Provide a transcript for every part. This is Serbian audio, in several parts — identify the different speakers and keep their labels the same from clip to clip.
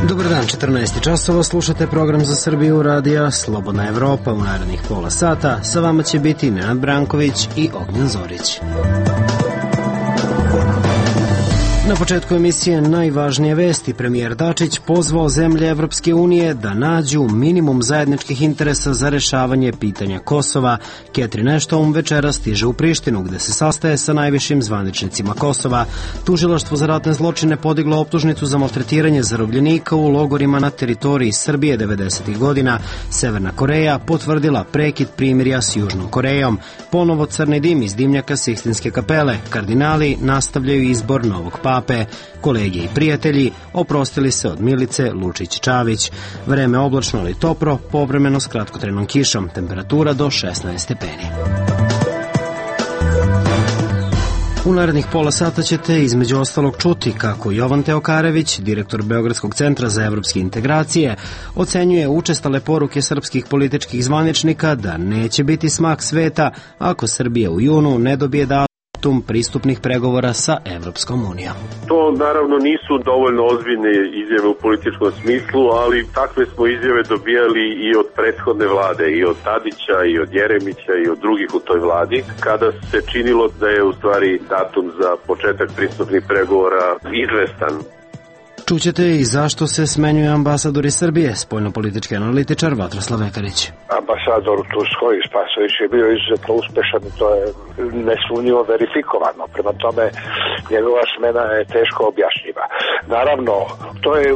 Speaker 1: Dobar dan, 14 časova, slušate program za Srbiju radija Slobodna Evropa. U narednih pola sata sa vama će biti Nenad Branković i Ognjen Zorić. Na početku emisije najvažnije vesti. Premijer Dačić pozvao zemlje Evropske unije da nađu minimum zajedničkih interesa za rešavanje pitanja Kosova. Catherine Ashton večera stiže u Prištinu, gde se sastaje sa najvišim zvaničnicima Kosova. Tužilaštvo za ratne zločine podiglo optužnicu za maltretiranje zarobljenika u logorima na teritoriji Srbije 90. godina. Severna Koreja potvrdila prekid primirja s Južnom Korejom. Ponovo crni dim iz dimnjaka Sikstinske kapele. Kardinali nastavljaju izbor novog pape. Kolege i prijatelji oprostili se od Milice Lučić-Čavić. Vreme oblačno ali toplo, povremeno s kratkotrenom kišom. Temperatura do 16 stepeni. U narednih pola sata ćete između ostalog čuti kako Jovan Teokarević, direktor Beogradskog centra za evropske integracije, ocenjuje učestale poruke srpskih političkih zvaničnika da neće biti smak sveta ako Srbija u junu ne dobije pristupnih pregovora sa Evropskom unijom.
Speaker 2: To naravno nisu dovoljno ozbiljne izjave u političkom smislu, ali takve smo izjave dobijali i od prethodne vlade, i od Tadića, i od Jeremića, i od drugih u toj vladi, kada se činilo da je u stvari datum za početak pristupnih pregovora izvestan.
Speaker 1: Čućete i zašto se smenjuje ambasador iz Srbije, spoljnopolitički analitičar Vatroslav Vekarić.
Speaker 3: Ambasador u Turskoj Spasović je bio izuzetno uspešan i to je nesumnjivo verifikovano. Prema tome, njegova smena je teško objašnjiva. Naravno, to je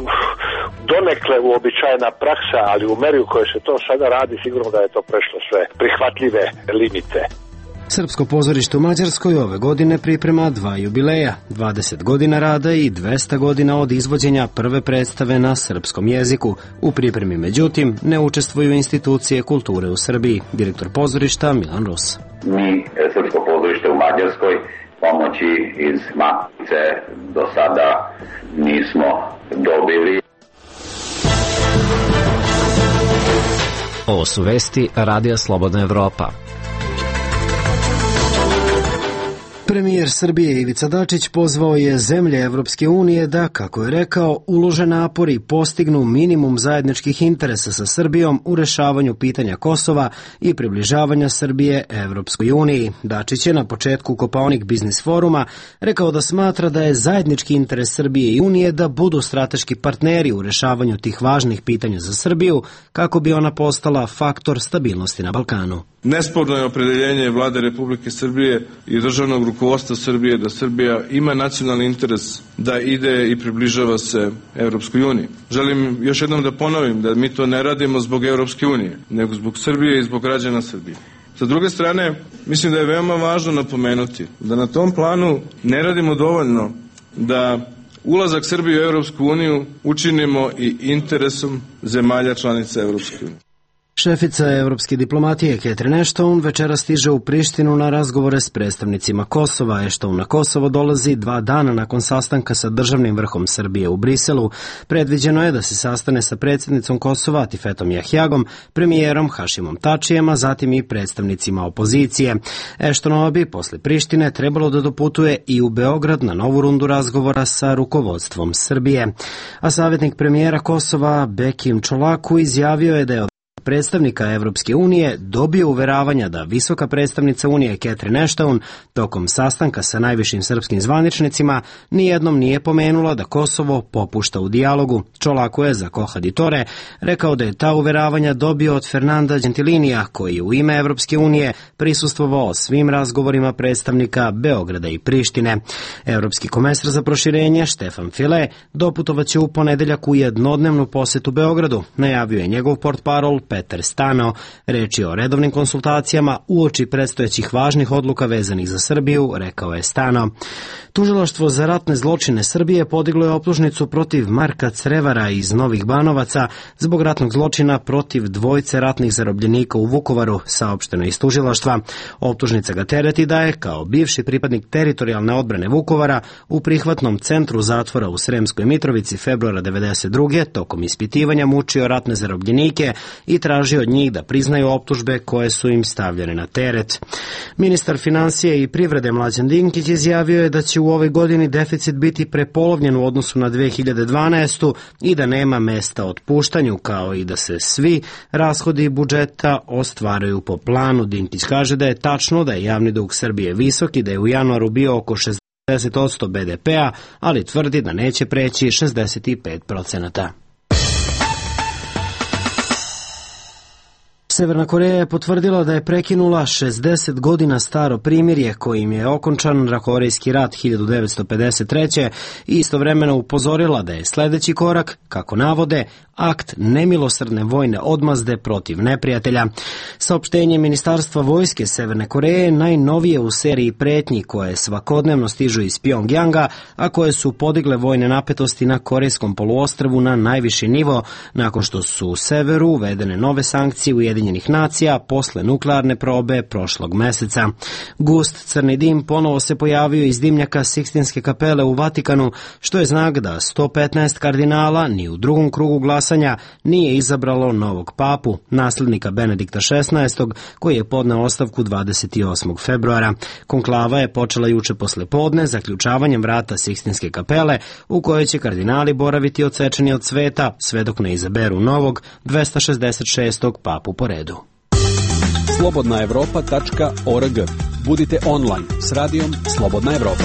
Speaker 3: donekle uobičajena praksa, ali u meri u kojoj se to sada radi, sigurno da je to prešlo sve prihvatljive limite.
Speaker 1: Srpsko pozorište u Mađarskoj ove godine priprema 2 jubileja, 20 godina rada i 200 godina od izvođenja prve predstave na srpskom jeziku. U pripremi, međutim, ne učestvuju institucije kulture u Srbiji. Direktor pozorišta Milan Rus.
Speaker 4: Mi, Srpsko pozorište u Mađarskoj, pomoći iz Matice do sada nismo dobili.
Speaker 5: Ovo su vesti Radija Slobodna Evropa.
Speaker 1: Premijer Srbije Ivica Dačić pozvao je zemlje Evropske unije da, kako je rekao, ulože napori i postignu minimum zajedničkih interesa sa Srbijom u rešavanju pitanja Kosova i približavanja Srbije Evropskoj uniji. Dačić je na početku Kopaonik biznis foruma rekao da smatra da je zajednički interes Srbije i Unije da budu strateški partneri u rešavanju tih važnih pitanja za Srbiju, kako bi ona postala faktor stabilnosti na Balkanu.
Speaker 6: Nesporno je opredeljenje Vlade Republike Srbije i državnog rukovodstva Srbije da Srbija ima nacionalni interes da ide i približava se Evropskoj uniji. Želim još jednom da ponovim da mi to ne radimo zbog Evropske unije, nego zbog Srbije i zbog građana Srbije. Sa druge strane, mislim da je veoma važno napomenuti da na tom planu ne radimo dovoljno da ulazak Srbije u Evropsku uniju učinimo i interesom zemalja članica Evropske unije.
Speaker 1: Šefica evropske diplomatije Catherine Ashton večera stiže u Prištinu na razgovore s predstavnicima Kosova. Ashton na Kosovo dolazi 2 dana nakon sastanka sa državnim vrhom Srbije u Briselu. Predviđeno je da se sastane sa predsjednicom Kosova Atifetom Jahjagom, premijerom Hašimom Tačijem, a zatim i predstavnicima opozicije. Ashtonova bi posle Prištine trebalo da doputuje i u Beograd na novu rundu razgovora sa rukovodstvom Srbije. A savjetnik premijera Kosova Bekim Čolaku izjavio je da je predstavnika Evropske unije dobio uveravanja da visoka predstavnica Unije Catherine Ashton tokom sastanka sa najvišim srpskim zvaničnicima nijednom nije pomenula da Kosovo popušta u dijalogu. Čolaku je za Kohaditore rekao da je ta uveravanja dobio od Fernanda Gentilinija, koji je u ime Evropske unije prisustvovao svim razgovorima predstavnika Beograda i Prištine. Evropski komesar za proširenje Štefan File doputovaće u ponedeljak u jednodnevnu posetu Beogradu, najavio je njegov portparol Petar Stano. Reč je o redovnim konsultacijama uoči predstojećih važnih odluka vezanih za Srbiju, rekao je Stano. Tužilaštvo za ratne zločine Srbije podiglo je optužnicu protiv Marka Crevara iz Novih Banovaca zbog ratnog zločina protiv 2 ratnih zarobljenika u Vukovaru, saopšteno iz tužilaštva. Optužnica ga tereti da je, kao bivši pripadnik teritorijalne odbrane Vukovara, u prihvatnom centru zatvora u Sremskoj Mitrovici februara 1992. tokom ispitivanja mučio ratne zarobljenike i traži od njih da priznaju optužbe koje su im stavljene na teret. Ministar finansije i privrede Mlađan Dinkić izjavio je da će u ovoj godini deficit biti prepolovljen u odnosu na 2012. i da nema mesta otpuštanju, kao i da se svi rashodi budžeta ostvaruju po planu. Dinkić kaže da je tačno da je javni dug Srbije visok i da je u januaru bio oko 60% BDP-a, ali tvrdi da neće preći 65%. Severna Koreja je potvrdila da je prekinula 60 godina staro primirje kojim je okončan Korejski rat 1953. i istovremeno upozorila da je sledeći korak, kako navode, akt nemilosrdne vojne odmazde protiv neprijatelja. Saopštenje Ministarstva vojske Severne Koreje najnovije u seriji pretnji koje svakodnevno stižu iz Pjongjanga, a koje su podigle vojne napetosti na Korejskom poluostrvu na najviši nivo, nakon što su u severu uvedene nove sankcije Ujedinjenih nacija posle nuklearne probe prošlog meseca. Gust crni dim ponovo se pojavio iz dimnjaka Sikstinske kapele u Vatikanu, što je znak da 115 kardinala ni u drugom krugu glasanja nije izabralo novog papu, naslednika Benedikta XVI, koji je podneo ostavku 28. februara. Konklava je počela juče posle podne zaključavanjem vrata Sikstinske kapele, u kojoj će kardinali boraviti odsečeni od sveta, sve dok ne izaberu novog 266. papu po redu.
Speaker 7: slobodnaevropa.org. Budite online s radijom Slobodna Evropa.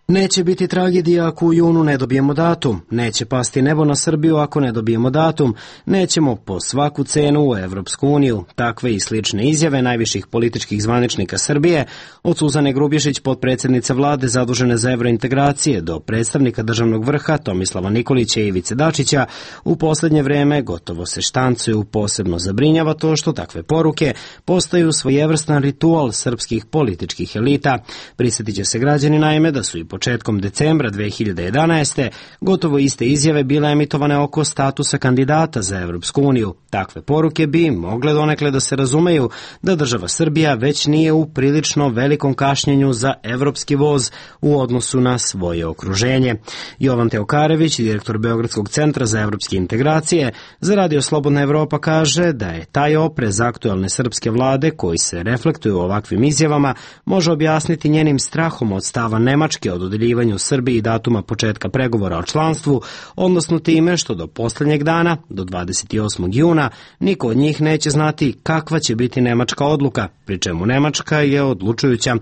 Speaker 1: Neće biti tragedija ako u junu ne dobijemo datum, neće pasti nebo na Srbiju ako ne dobijemo datum, nećemo po svaku cenu u Evropsku uniju. Takve i slične izjave najviših političkih zvaničnika Srbije, od Suzane Grubješić, potpredsjednice vlade zadužene za evrointegracije, do predstavnika državnog vrha Tomislava Nikolića i Ivice Dačića, u poslednje vreme gotovo se štancuju. Posebno zabrinjava to što takve poruke postaju svojevrstan ritual srpskih političkih elita. Prisjetit će se građani naime da su i početkom decembra 2011. gotovo iste izjave bile emitovane oko statusa kandidata za Evropsku uniju. Takve poruke bi mogle donekle da se razumeju da država Srbija već nije u prilično velikom kašnjenju za evropski voz u odnosu na svoje okruženje. Jovan Teokarević, direktor Beogradskog centra za evropske integracije, za Radio Slobodna Evropa kaže da je taj oprez aktuelne srpske vlade koji se reflektuje u ovakvim izjavama može objasniti njenim strahom od stava Nemačke od dodeljivanju Srbiji datuma početka pregovora o članstvu, odnosno time što do poslednjeg dana, do 28. juna, niko od njih neće znati kakva će biti nemačka odluka, pri čemu Nemačka je odlučujuća.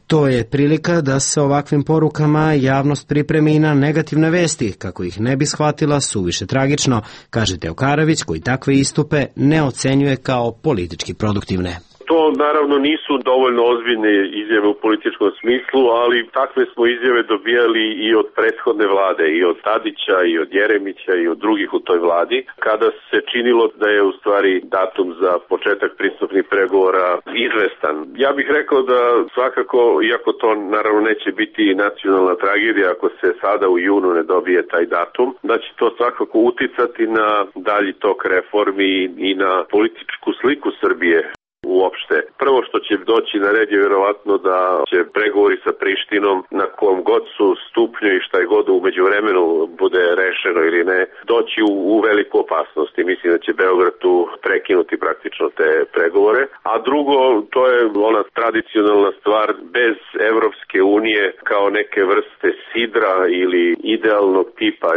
Speaker 1: To je prilika da se ovakvim porukama javnost pripremi na negativne vesti, kako ih ne bi shvatila suviše tragično, kaže Teokarević, koji takve istupe ne ocenjuje kao politički produktivne.
Speaker 2: To naravno nisu dovoljno ozbiljne izjave u političkom smislu, ali takve smo izjave dobijali i od prethodne vlade, i od Tadića, i od Jeremića, i od drugih u toj vladi, kada se činilo da je u stvari datum za početak pristupnih pregovora izvestan. Ja bih rekao da svakako, iako to naravno neće biti nacionalna tragedija ako se sada u junu ne dobije taj datum, da će to svakako uticati na dalji tok reformi i na političku sliku Srbije. Uopšte. Prvo što će doći na red je vjerovatno da će pregovori sa Prištinom, na kom god su stupnju i šta je god u međuvremenu bude rešeno ili ne, doći u veliku opasnost i mislim da će Beograd tu prekinuti praktično te pregovore. A drugo, to je ona tradicionalna stvar, bez Evropske unije kao neke vrste sidra ili idealnog tipa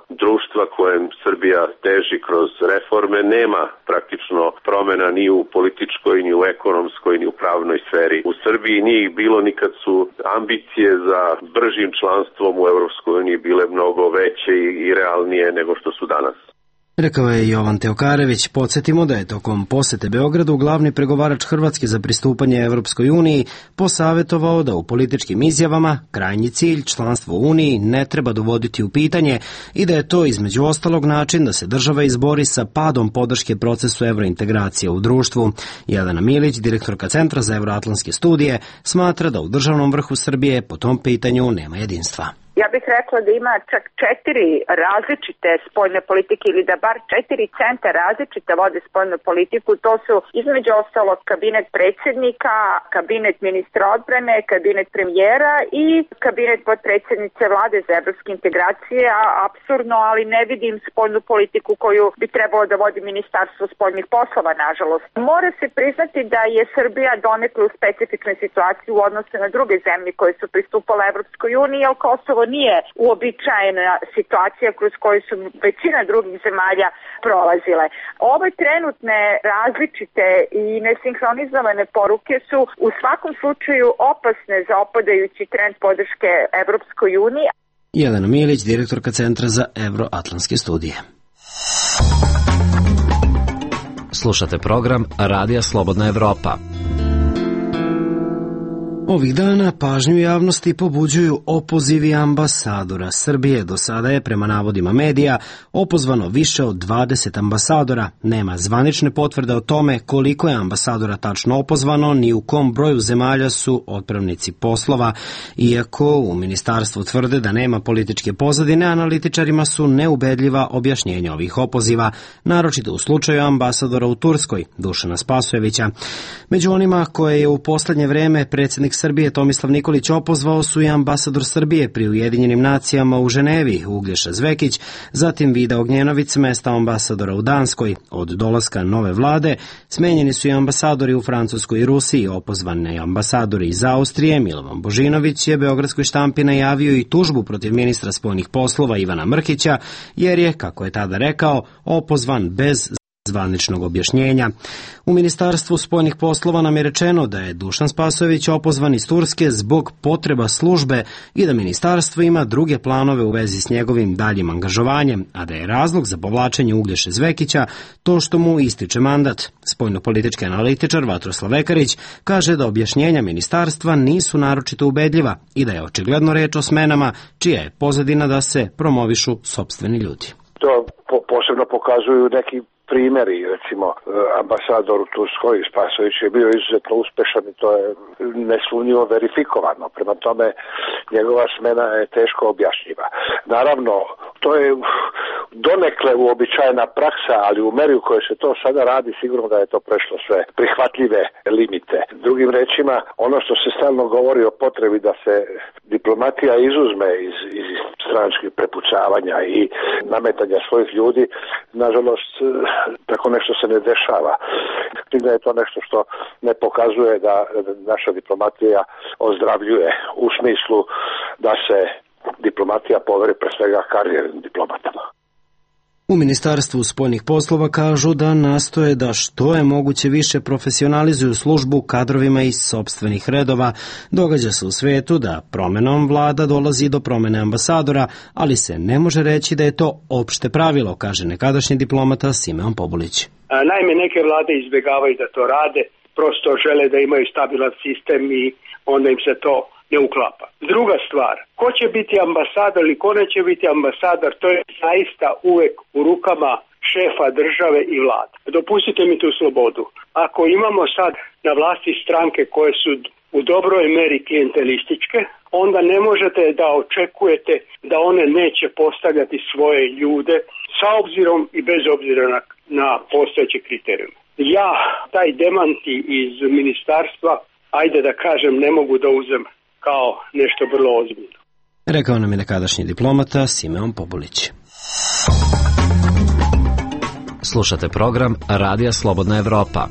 Speaker 2: društva kojem Srbija teži kroz reforme, nema praktično promena ni u političkoj, ni u ekonomskoj, ni u pravnoj sferi. U Srbiji nije ih bilo ni kad su ambicije za bržim članstvom u Evropskoj uniji bile mnogo veće i realnije nego što su danas.
Speaker 1: Rekao je Jovan Teokarević. Podsjetimo da je tokom posete Beogradu glavni pregovarač Hrvatske za pristupanje Evropskoj uniji posavetovao da u političkim izjavama krajnji cilj, članstvo u Uniji, ne treba dovoditi u pitanje i da je to između ostalog način da se država izbori sa padom podrške procesu evrointegracije u društvu. Jelena Milić, direktorka Centra za evroatlantske studije, smatra da u državnom vrhu Srbije po tom pitanju nema jedinstva.
Speaker 8: Ja bih rekla da ima čak 4 različite spoljne politike ili da bar 4 centra različite vode spoljnu politiku. To su između ostalog kabinet predsjednika, kabinet ministra odbrane, kabinet premijera i kabinet podpredsjednice vlade za evropske integracije. Apsurdno, ali ne vidim spoljnu politiku koju bi trebalo da vodi Ministarstvo spoljnih poslova, nažalost. Mora se priznati da je Srbija donekle u specifičnoj situaciji u odnosu na druge zemlje koje su pristupale Evropskoj uniji, jer Kosovo nije uobičajena situacija kroz koju su većina drugih zemalja prolazile. Ove trenutne različite i nesinhronizovane poruke su u svakom slučaju opasne za opadajući trend podrške Evropskoj uniji.
Speaker 1: Jelena Milić, direktorka Centra za evroatlantske studije.
Speaker 5: Slušate program Radija Slobodna Evropa.
Speaker 1: Ovih dana pažnju javnosti pobuđuju opozivi ambasadora Srbije. Do sada je, prema navodima medija, opozvano više od 20 ambasadora. Nema zvanične potvrde o tome koliko je ambasadora tačno opozvano, ni u kom broju zemalja su otpravnici poslova. Iako u ministarstvu tvrde da nema političke pozadine, analitičarima su neubedljiva objašnjenja ovih opoziva, naročito u slučaju ambasadora u Turskoj, Dušana Spasojevića. Među onima koje je u poslednje vreme predsjednik Srbije Tomislav Nikolić opozvao su i ambasador Srbije pri Ujedinjenim nacijama u Ženevi, Uglješa Zvekić, zatim Vida Ognjenović s mesta ambasadora u Danskoj. Od dolaska nove vlade smenjeni su i ambasadori u Francuskoj i Rusiji, opozvani ambasadori iz Austrije. Milovan Božinović je beogradskoj štampi najavio i tužbu protiv ministra spoljnih poslova Ivana Mrkića, jer je, kako je tada rekao, opozvan bez zvaničnog objašnjenja. U Ministarstvu spoljnih poslova nam je rečeno da je Dušan Spasojević opozvan iz Turske zbog potreba službe i da ministarstvo ima druge planove u vezi s njegovim daljim angažovanjem, a da je razlog za povlačenje Uglješe Zvekića to što mu ističe mandat. Spoljnopolitički analitičar Vatroslav Ekarić kaže da objašnjenja ministarstva nisu naročito ubedljiva i da je očigledno reč o smenama čija je pozadina da se promovišu sopstveni ljudi.
Speaker 3: To posebno pokazuju neki primjeri, recimo ambasador u Turskoj Spasojević je bio izuzetno uspešan i to je nesumnjivo verifikovano. Prema tome, njegova smena je teško objašnjiva. Naravno, to je donekle uobičajena praksa, ali u meri u kojoj se to sada radi, sigurno da je to prešlo sve prihvatljive limite. Drugim rečima, ono što se stalno govori o potrebi da se diplomatija izuzme iz stranačkih prepucavanja i nametanja svojih ljudi, nažalost, tako nešto se ne dešava. Da je to nešto što ne pokazuje da naša diplomatija ozdravljuje u smislu da se diplomatija poveri pre svega karijernim diplomatama.
Speaker 1: U Ministarstvu spoljnih poslova kažu da nastoje da što je moguće više profesionalizuju službu kadrovima iz sopstvenih redova. Događa se u svetu da promenom vlada dolazi do promene ambasadora, ali se ne može reći da je to opšte pravilo, kaže nekadašnji diplomata Simeon Pobulić.
Speaker 9: Naime, neke vlade izbjegavaju da to rade, prosto žele da imaju stabilan sistem i onda im se to ne uklapa. Druga stvar, ko će biti ambasador ili ko neće biti ambasador, to je zaista uvek u rukama šefa države i vlade. Dopustite mi tu slobodu. Ako imamo sad na vlasti stranke koje su u dobroj meri klijentelističke, onda ne možete da očekujete da one neće postavljati svoje ljude sa obzirom i bez obzira na postojeće kriterijume. Ja taj demanti iz ministarstva, ajde da kažem, ne mogu da uzem kao nešto vrlo ozbiljno.
Speaker 1: Rekao nam je nekadašnji diplomata Simeon Pobulić.
Speaker 5: Slušate program Radija Slobodna Evropa.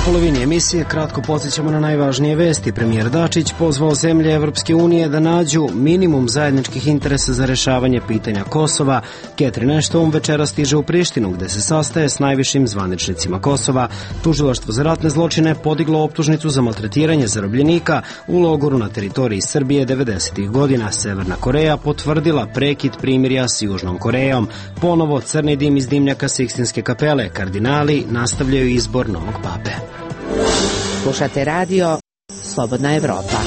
Speaker 1: U polovini emisije kratko podsjećamo na najvažnije vesti. Premijer Dačić pozvao zemlje Evropske unije da nađu minimum zajedničkih interesa za rešavanje pitanja Kosova. Catherine Ashton večera stiže u Prištinu, gde se sastaje s najvišim zvaničnicima Kosova. Tužilaštvo za ratne zločine podiglo optužnicu za maltretiranje zarobljenika u logoru na teritoriji Srbije 90. godina. Severna Koreja potvrdila prekid primirja s Južnom Korejom. Ponovo crni dim iz dimnjaka Sikstinske kapele. Kardinali nastavljaju izbor novog pape.
Speaker 10: Slušate radio Slobodna Evropa.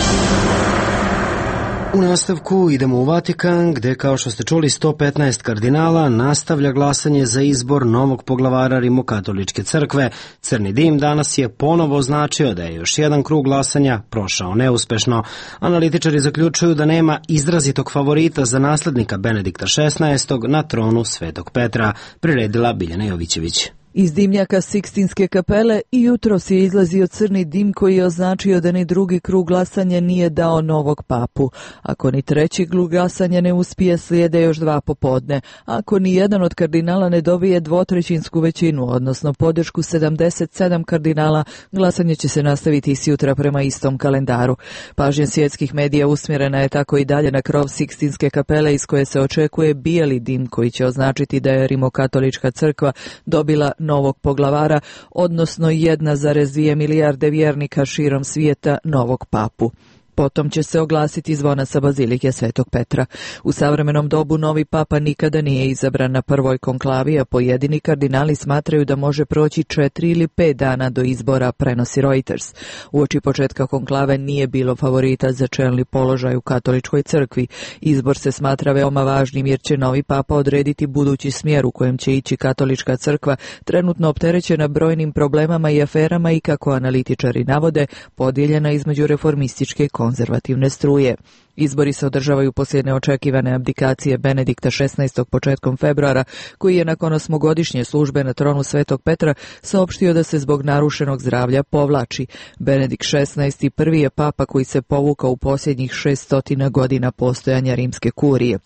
Speaker 1: U nastavku idemo u Vatikan, gde, kao što ste čuli, 115 kardinala nastavlja glasanje za izbor novog poglavara Rimokatoličke crkve. Crni dim danas je ponovo označio da je još jedan krug glasanja prošao neuspešno. Analitičari zaključuju da nema izrazitog favorita za naslednika Benedikta XVI. Na tronu Svetog Petra, priredila Biljana Jovićević.
Speaker 10: Iz dimnjaka Sikstinske kapele i jutros je izlazio crni dim koji je označio da ni drugi krug glasanja nije dao novog papu. Ako ni treći krug glasanja ne uspije, slijede još 2 popodne. Ako ni jedan od kardinala ne dobije dvotrećinsku većinu, odnosno podršku 77 kardinala, glasanje će se nastaviti i sutra prema istom kalendaru. Pažnja svjetskih medija usmjerena je tako i dalje na krov Sikstinske kapele iz koje se očekuje bijeli dim koji će označiti da je Rimokatolička crkva dobila novog poglavara, odnosno 1,2 milijarde vjernika širom svijeta novog papu. Potom će se oglasiti zvona sa bazilike Svetog Petra. U savremenom dobu novi papa nikada nije izabran na prvoj konklavi, a pojedini kardinali smatraju da može proći 4 ili 5 dana do izbora, prenosi Reuters. Uoči početka konklave nije bilo favorita za čelni položaj u katoličkoj crkvi. Izbor se smatra veoma važnim jer će novi papa odrediti budući smjer u kojem će ići katolička crkva, trenutno opterećena brojnim problemama i aferama i, kako analitičari navode, podijeljena između reformističke i konzervativne struje. Izbori se održavaju poslije neočekivane abdikacije Benedikta XVI. Početkom februara, koji je nakon 8-godišnje službe na tronu Svetog Petra saopštio da se zbog narušenog zdravlja povlači. Benedikt XVI. Prvi je papa koji se povukao u posljednjih 600 godina postojanja rimske kurije.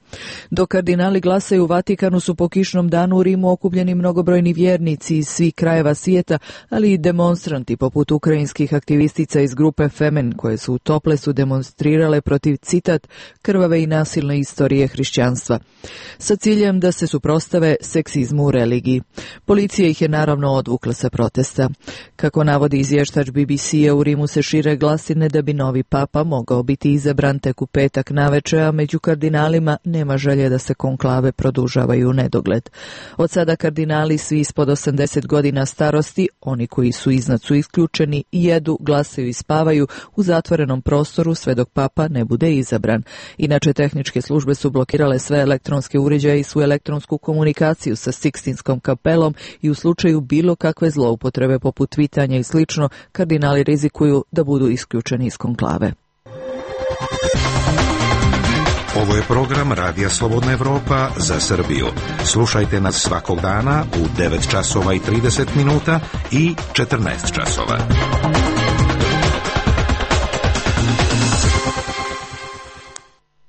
Speaker 10: Dok kardinali glasaju u Vatikanu su po kišnom danu u Rimu okupljeni mnogobrojni vjernici iz svih krajeva svijeta, ali i demonstranti poput ukrajinskih aktivistica iz grupe Femen, koje su u Toplesu demonstrirale protiv krvave i nasilne istorije hrišćanstva, sa ciljem da se suprotstave seksizmu u religiji. Policija ih je naravno odvukla sa protesta. Kako navodi izvještač BBC-a, u Rimu se šire glasine da bi novi papa mogao biti izabran tek u petak naveče, a među kardinalima nema želje da se konklave produžavaju u nedogled. Od sada kardinali svi ispod 80 godina starosti, oni koji su iznad su isključeni, jedu, glasaju i spavaju u zatvorenom prostoru sve dok papa ne bude izabran. Inače, tehničke službe su blokirale sve elektronske uređaje i svu elektronsku komunikaciju sa Sikstinskom kapelom i u slučaju bilo kakve zloupotrebe poput tvitanja i slično, kardinali rizikuju da budu isključeni iz konklave.
Speaker 11: Ovo je program Radija Slobodna Evropa za Srbiju. Slušajte nas svakog dana u 9 časova i 30 minuta i 14 časova.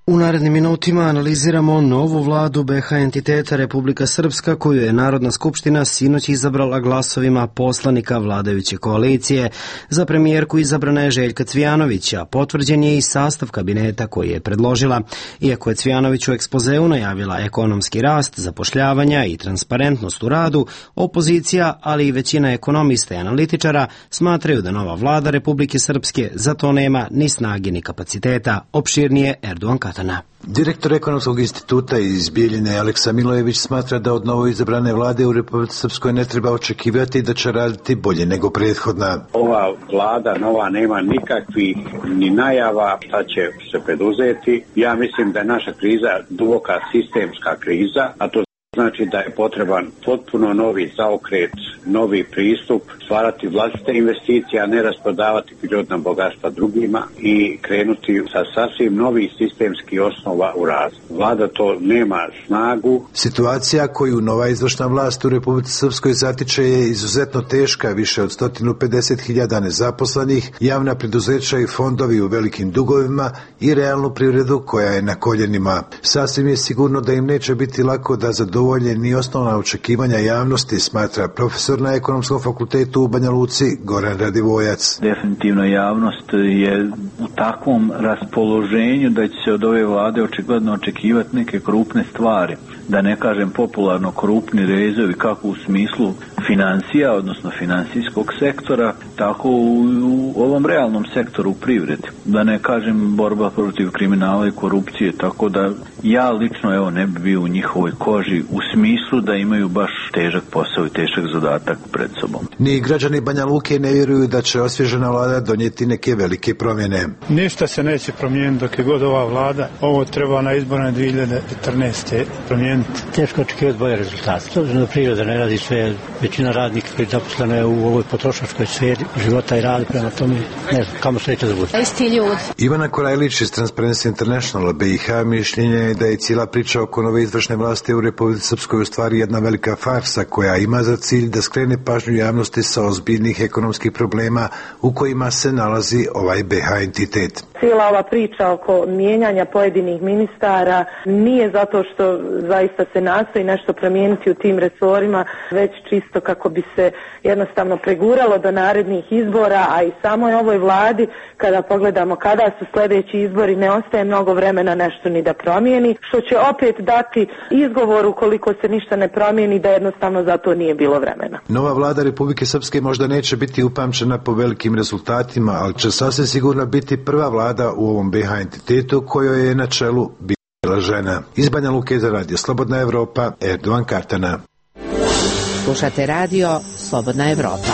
Speaker 1: U narednim minutima analiziramo novu vladu BH entiteta Republika Srpska, koju je Narodna skupština sinoć izabrala glasovima poslanika vladajuće koalicije. Za premijerku izabrana je Željka Cvijanović, a potvrđen je i sastav kabineta koji je predložila. Iako je Cvijanović u ekspozeu najavila ekonomski rast, zapošljavanja i transparentnost u radu, opozicija, ali i većina ekonomista i analitičara smatraju da nova vlada Republike Srpske za to nema ni snage ni kapaciteta. Opširnije Erdogan Katana.
Speaker 12: Direktor Ekonomskog instituta iz Bijeljine Aleksa Milojević smatra da od novo izabrane vlade u Republici Srpskoj ne treba očekivati da će raditi bolje nego prethodna.
Speaker 13: Ova vlada nova nema nikakvih ni najava šta će se preduzeti. Ja mislim da je naša kriza duboka sistemska kriza, a to znači da je potreban potpuno novi zaokret, novi pristup, stvarati vlastite investicije, a ne rasprodavati prirodna bogatstva drugima i krenuti sa sasvim novih sistemskih osnova u razvoju. Vlada to nema snagu.
Speaker 12: Situacija koju nova izvršna vlast u Republici Srpskoj zatiče je izuzetno teška, više od 150.000 nezaposlenih, javna preduzeća i fondovi u velikim dugovima i realnu privredu koja je na koljenima. Sasvim je sigurno da im neće biti lako da zadovolje ni osnovna očekivanja javnosti, smatra profesor na Ekonomskom fakultetu u Banja Luci Goran Radivojac.
Speaker 14: Definitivno javnost je u takvom raspoloženju da će se od ove vlade očigledno očekivati neke krupne stvari. Da ne kažem popularno krupni rezovi, kako u smislu financija, odnosno financijskog sektora, tako u ovom realnom sektoru privredi. Da ne kažem borba protiv kriminala i korupcije, tako da ja lično ne bi bio u njihovoj koži u smislu da imaju baš težak posao i težak zadatak pred sobom.
Speaker 12: Ni građani Banja Luke ne vjeruju da će osvježena vlada donijeti neke velike promjene.
Speaker 15: Ništa se neće promijeniti dok je god ova vlada. Ovo treba na izborne 2014. promijeniti.
Speaker 16: Teško očekivati bolje rezultate. S obzirom da priroda ne radi sve, većina radnika koji je zaposlena u ovoj potrošačkoj sferi života i radi, prema tome ne znam kamo sreće da bude.
Speaker 17: Isti ljudi.
Speaker 12: Ivana Korajlić iz Transparency International BiH mišljenje je da je cijela priča oko nove izvršne vlasti u Republici Srpskoj u stvari jedna velika farsa koja ima za cilj da skrene pažnju javnosti sa ozbiljnih ekonomskih problema u kojima se nalazi ovaj BiH entitet.
Speaker 18: Cijela ova priča oko mijenjanja pojedinih ministara nije zato što zaista se nastoji nešto promijeniti u tim resorima, već čisto kako bi se jednostavno preguralo do narednih izbora, a i samoj ovoj vladi, kada pogledamo kada su sljedeći izbori, ne ostaje mnogo vremena nešto ni da promijeni, što će opet dati izgovor ukoliko se ništa ne promijeni da jednostavno za to nije bilo vremena.
Speaker 12: Nova vlada Republike Srpske možda neće biti upamćena po velikim rezultatima, ali će sasvim sigurno biti prva vlada u ovom BiH entitetu kojoj je na čelu bila žena. Iz Banja Luke za Radio Slobodna Evropa, Erdovan Kartana.
Speaker 19: Slušate radio Slobodna Evropa.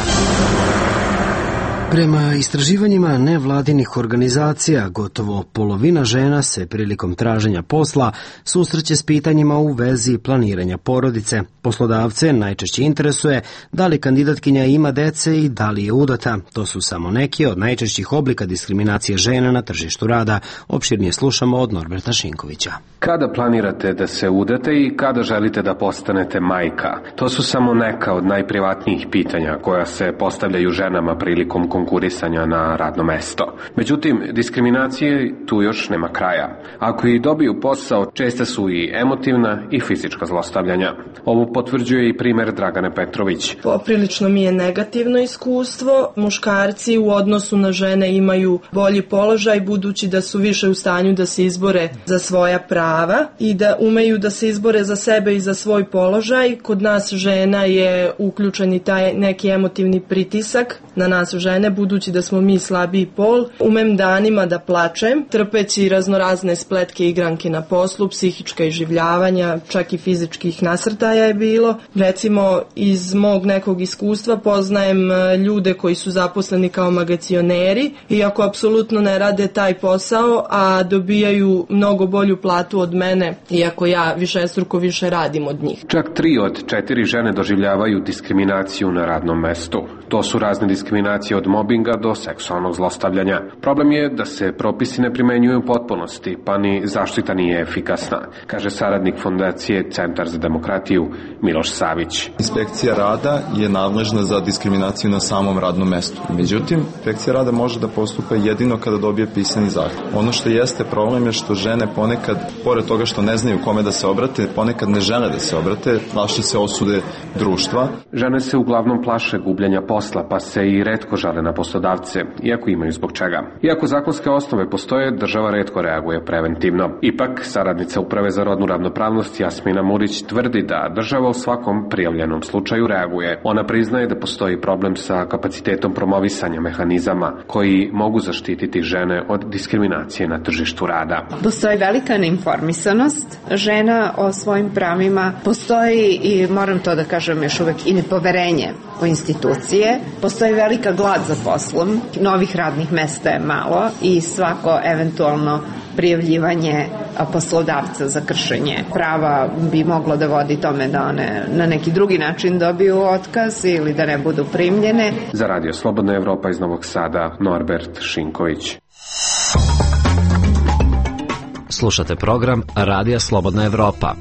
Speaker 1: Prema istraživanjima nevladinih organizacija, gotovo polovina žena se prilikom traženja posla susreće s pitanjima u vezi planiranja porodice. Poslodavce najčešće interesuje da li kandidatkinja ima dece i da li je udata. To su samo neki od najčešćih oblika diskriminacije žena na tržištu rada. Opširnije slušamo od Norberta Šinkovića.
Speaker 20: Kada planirate da se udate i kada želite da postanete majka? To su samo neka od najprivatnijih pitanja koja se postavljaju ženama prilikom konkurisanja na radno mesto. Međutim, diskriminacije tu još nema kraja. Ako i dobiju posao, česte su i emotivna i fizička zlostavljanja. Ovo potvrđuje i primjer Dragane Petrović.
Speaker 21: Poprilično mi je negativno iskustvo. Muškarci u odnosu na žene imaju bolji položaj budući da su više u stanju da se izbore za svoja prava i da umeju da se izbore za sebe i za svoj položaj. Kod nas žena je uključen i taj neki emotivni pritisak na nas žene, budući da smo mi slabiji pol. Umem danima da plačem, trpeći raznorazne spletke i igranke na poslu, psihička iživljavanja, čak i fizičkih nasrtaja je bilo. Recimo, iz mog nekog iskustva poznajem ljude koji su zaposleni kao magacioneri, iako apsolutno ne rade taj posao, a dobijaju mnogo bolju platu od mene, iako ja višestruko više radim od njih.
Speaker 20: Čak 3 od 4 žene doživljavaju diskriminaciju na radnom mestu. To su razne diskriminacije od mobinga do seksualnog zlostavljanja. Problem je da se propisi ne primenjuju u potpunosti, pa ni zaštita nije efikasna, kaže saradnik Fondacije Centar za demokratiju Miloš Savić.
Speaker 22: Inspekcija rada je nadležna za diskriminaciju na samom radnom mestu. Međutim, inspekcija rada može da postupa jedino kada dobije pisani zahtev. Ono što jeste problem je što žene ponekad, pored toga što ne znaju kome da se obrate, ponekad ne žele da se obrate, plaše se osude društva.
Speaker 20: Žene se uglavnom plaše gubljenja posla, pa se i retko žale na poslodavce, iako imaju zbog čega. Iako zakonske osnove postoje, država retko reaguje preventivno. Ipak, saradnica Uprave za rodnu ravnopravnost Jasmina Murić tvrdi da država u svakom prijavljenom slučaju reaguje. Ona priznaje da postoji problem sa kapacitetom promovisanja mehanizama koji mogu zaštititi žene od diskriminacije na tržištu rada.
Speaker 23: Postoji velika neinformisanost žena o svojim pravima, postoji i moram to da kažem još uvek i nepoverenje u institucije, postoji velika glad za poslom, novih radnih mesta je malo i svako eventualno prijavljivanje poslodavca za kršenje prava bi moglo da vodi tome da one na neki drugi način dobiju otkaz ili da ne budu primljene.
Speaker 20: Za Radio Slobodna Evropa iz Novog Sada, Norbert Šinković.
Speaker 5: Slušate program Radija Slobodna Evropa.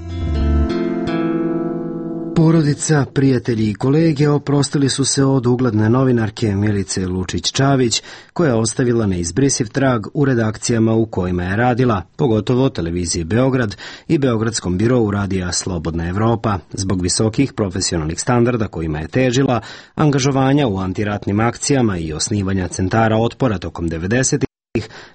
Speaker 1: Porodica, prijatelji i kolege oprostili su se od ugledne novinarke Milice Lučić-Čavić, koja je ostavila neizbrisiv trag u redakcijama u kojima je radila, pogotovo televizije Beograd i Beogradskom birovu Radija Slobodna Evropa, zbog visokih profesionalnih standarda kojima je težila, angažovanja u antiratnim akcijama i osnivanja centara otpora tokom 90-ih.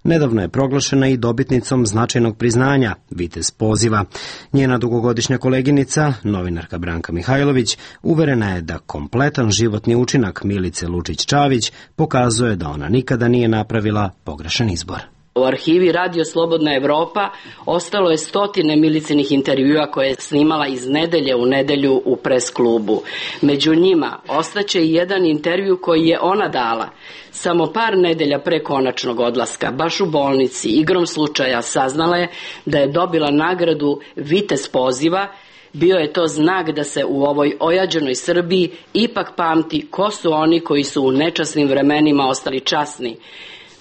Speaker 1: nedavno je proglašena i dobitnicom značajnog priznanja, Vitez poziva. Njena dugogodišnja koleginica, novinarka Branka Mihajlović, uverena je da kompletan životni učinak Milice Lučić-Čavić pokazuje da ona nikada nije napravila pogrešan izbor.
Speaker 4: U arhivi Radio Slobodna Evropa ostalo je stotine Milicinih intervjua koje je snimala iz nedelje u nedelju u pres klubu. Među njima ostaće i jedan intervju koji je ona dala. Samo par nedelja pre konačnog odlaska, baš u bolnici, igrom slučaja saznala je da je dobila nagradu Vitez poziva. Bio je to znak da se u ovoj ojađenoj Srbiji ipak pamti ko su oni koji su u nečasnim vremenima ostali časni.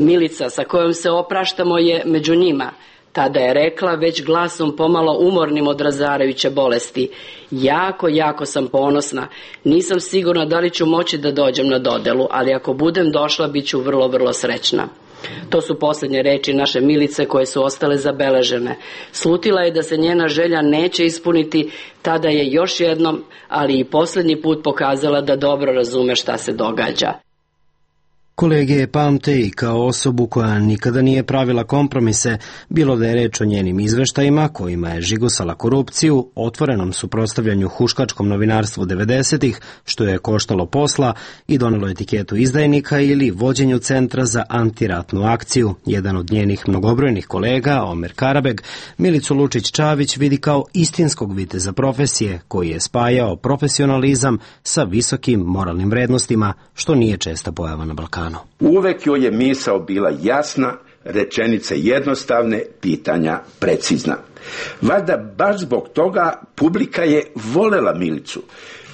Speaker 4: Milica sa kojom se opraštamo je među njima. Tada je rekla već glasom pomalo umornim od razarajuće bolesti: jako sam ponosna. Nisam sigurna da li ću moći da dođem na dodelu, ali ako budem došla bit ću vrlo srećna. To su posljednje reči naše Milice koje su ostale zabeležene. Slutila je da se njena želja neće ispuniti, tada je još jednom, ali i posljednji put pokazala da dobro razume šta se događa.
Speaker 1: Kolege je pamte i kao osobu koja nikada nije pravila kompromise, bilo da je reč o njenim izveštajima kojima je žigosala korupciju, otvorenom suprotstavljanju huškačkom novinarstvu 90-ih, što je koštalo posla i donelo etiketu izdajnika, ili vođenju Centra za antiratnu akciju. Jedan od njenih mnogobrojnih kolega, Omer Karabeg, Milicu Lučić-Čavić vidi kao istinskog viteza profesije koji je spajao profesionalizam sa visokim moralnim vrednostima, što nije česta pojava na Balkanu.
Speaker 6: Uvek joj je misao bila jasna, rečenice jednostavne, pitanja precizna. Valjda baš zbog toga publika je volela Milicu.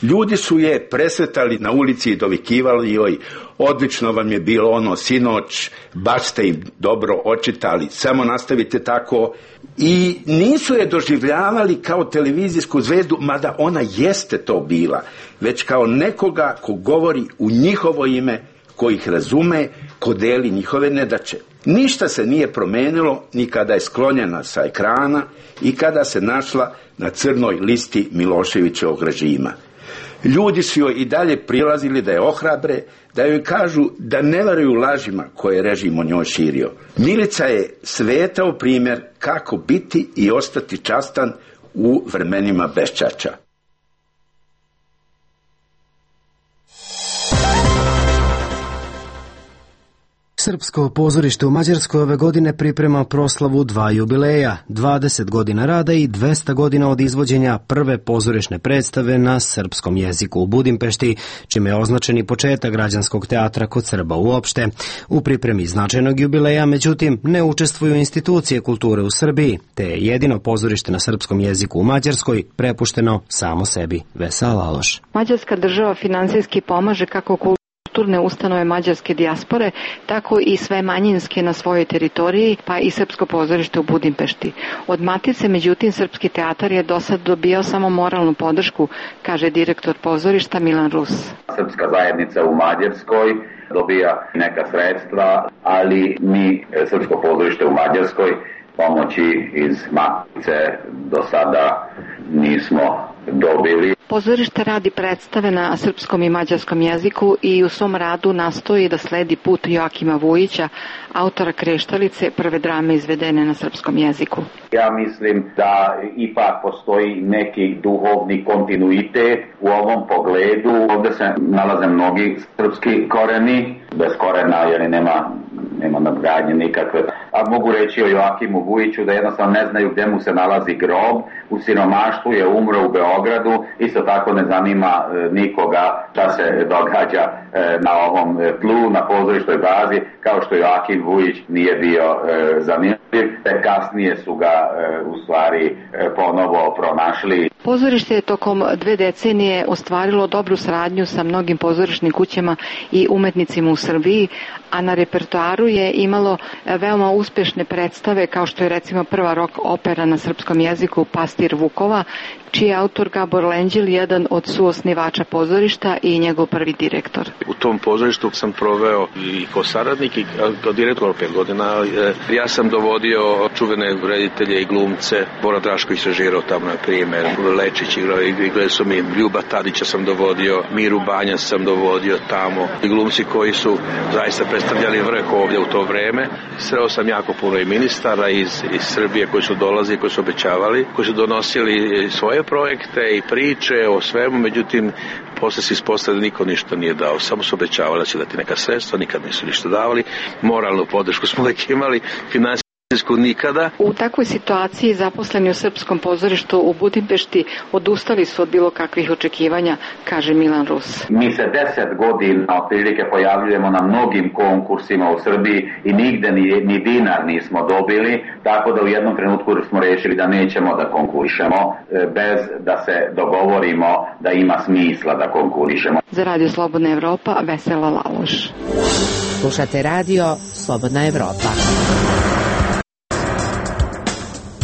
Speaker 6: Ljudi su je presretali na ulici i dovikivali joj: odlično vam je bilo ono sinoć, baš ste im dobro očitali, samo nastavite tako. I nisu je doživljavali kao televizijsku zvezdu, mada ona jeste to bila, već kao nekoga ko govori u njihovo ime, ko ih razume, ko deli njihove nedaće. Ništa se nije promenilo ni kada je sklonjena sa ekrana i kada se našla na crnoj listi Miloševićevog režima. Ljudi su joj i dalje prilazili da je ohrabre, da joj kažu da ne veruju lažima koje je režim o njoj širio. Milica je svetao primjer kako biti i ostati častan u vremenima beščašća.
Speaker 1: Srpsko pozorište u Mađarskoj ove godine priprema proslavu 2 jubileja, 20 godina rada i 200 godina od izvođenja prve pozorišne predstave na srpskom jeziku u Budimpešti, čime je označen i početak građanskog teatra kod Srba uopšte. U pripremi značajnog jubileja, međutim, ne učestvuju institucije kulture u Srbiji, te je jedino pozorište na srpskom jeziku u Mađarskoj prepušteno samo sebi. Vesa Laloš.
Speaker 17: Mađarska država finansijski pomaže kako kulturne ustanove mađarske dijaspore, tako i sve manjinske na svojoj teritoriji, pa i srpsko pozorište u Budimpešti. Od Matice, međutim, srpski teatar je do sad dobijao samo moralnu podršku, kaže direktor pozorišta Milan Rus.
Speaker 24: Srpska zajednica u Mađarskoj dobija neka sredstva, ali mi, srpsko pozorište u Mađarskoj, pomoći iz Matice do sada nismo dobili.
Speaker 17: Pozorište radi predstave na srpskom i mađarskom jeziku i u svom radu nastoji da sledi put Joakima Vujića, autora Kreštalice, prve drame izvedene na srpskom jeziku.
Speaker 24: Ja mislim da ipak postoji neki duhovni kontinuitet u ovom pogledu. Ovdje se nalaze mnogi srpski koreni, bez korena jer nema nadgradnje nikakve. A mogu reći o Joakimu Vujiću da jednostavno ne znaju gdje mu se nalazi grob. U siromaštvu je umro u Beogradu. Isto tako ne zanima nikoga šta se događa na ovom tlu, na pozorištoj bazi, kao što Joakim Vujić nije bio zanimljiv. Kasnije su ga u stvari ponovo pronašli.
Speaker 17: Pozorište je tokom 2 decenije ostvarilo dobru saradnju sa mnogim pozorišnim kućama i umetnicima u Srbiji, a na repertoaru je imalo veoma uspešne predstave kao što je recimo prva rock opera na srpskom jeziku Pastir Vukova, čiji je autor Gabor Lenđil, jedan od suosnivača pozorišta i njegov prvi direktor.
Speaker 2: U tom pozorištu sam proveo i kao saradnik i kao direktor 5 godina. Ja sam dovodio čuvene reditelje i glumce. Bora Drašković režirao tamo, na primjer, Lečić igrao, igrali su mi Ljuba Tadića sam dovodio, Miru Banja sam dovodio tamo. I glumci koji su zaista predstavljali vrh ovdje u to vreme. Sreo sam jako puno i ministara iz Srbije koji su dolazili, koji su obećavali, koji su donosili svoje projekte i priče o svemu, međutim posle se ispostavilo da niko ništa nije dao, samo su obećavali da će dati neka sredstva, nikad nisu ništa davali, moralnu podršku smo uvijek imali, finansijsku nikada.
Speaker 17: U takvoj situaciji zaposleni u Srpskom pozorištu u Budimpešti odustali su od bilo kakvih očekivanja, kaže Milan Rus.
Speaker 24: Mi se 10 godina otprilike pojavljujemo na mnogim konkursima u Srbiji i nigde ni dinar nismo dobili, tako da u jednom trenutku smo rešili da nećemo da konkurišemo bez da se dogovorimo da ima smisla da konkurišemo.
Speaker 17: Za Radio Slobodna Evropa, Vesela Laloš.
Speaker 19: Slušate Radio Slobodna Evropa.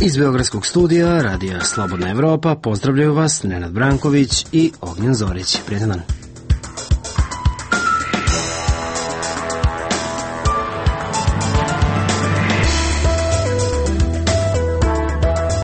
Speaker 1: Iz Beogradskog studija Radija Slobodna Evropa pozdravljaju vas Nenad Branković i Ognjen Zorić. Prijetan dan.